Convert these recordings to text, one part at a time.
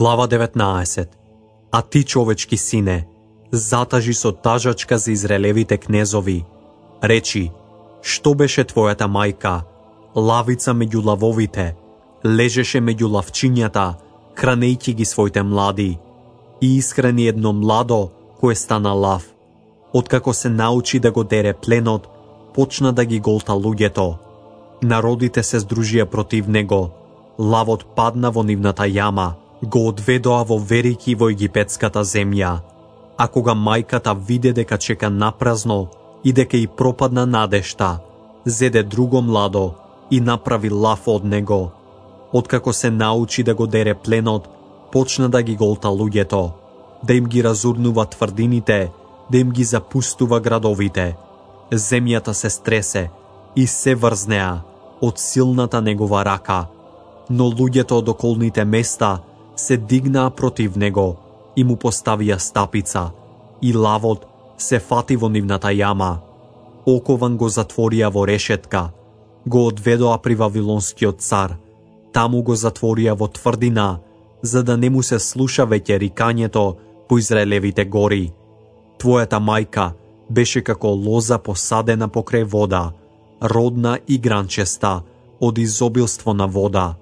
Глава 19. А ти, човечки сине, затажи со тажачка за израелевите кнезови. Речи, што беше твојата мајка? Лавица меѓу лавовите, лежеше меѓу лавчињата, хранејќи ги своите млади. И искрени едно младо, кое стана лав. Откако се научи да го дере пленот, почна да ги голта луѓето. Народите се здружија против него. Лавот падна во нивната јама, го одведоа во верики во египетската земја. А кога мајката виде дека чека напразно и дека и пропадна надежта, зеде друго младо и направи лав од него. Откако се научи да го дере пленот, почна да ги голта луѓето, да им ги разурнува тврдините, да им ги запустува градовите. Земјата се стресе и се врзнеа од силната негова рака, но луѓето од околните места се дигнаа против него и му поставија стапица, и лавот се фати во нивната јама. Окован го затворија во решетка, го одведоа при вавилонскиот цар, таму го затворија во тврдина, за да не му се слуша веќе рикањето по Израелевите гори. Твојата мајка беше како лоза посадена покрај вода, родна и гранчеста од изобилство на вода.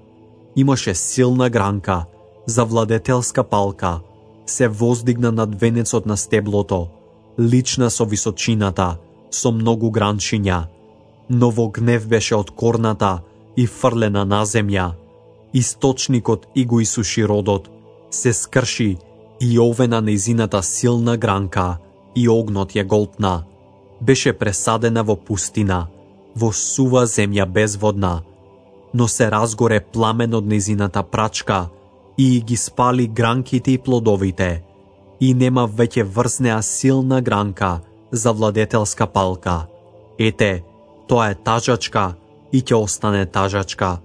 Имаше силна гранка, завладетелска палка, се воздигна над венецот на стеблото, лична со височината, со многу гранчиња. Но во гнев беше откорната и фрлена на земја. Источникот и го исуши родот, се скрши и овена нејзината силна гранка и огнот ја голтна. Беше пресадена во пустина, во сува земја безводна, но се разгоре пламен од нејзината прачка и ги спали гранките и плодовите, и нема веќе врзнеа силна гранка за владетелска палка. Ете, тоа е тажачка и ќе остане тажачка.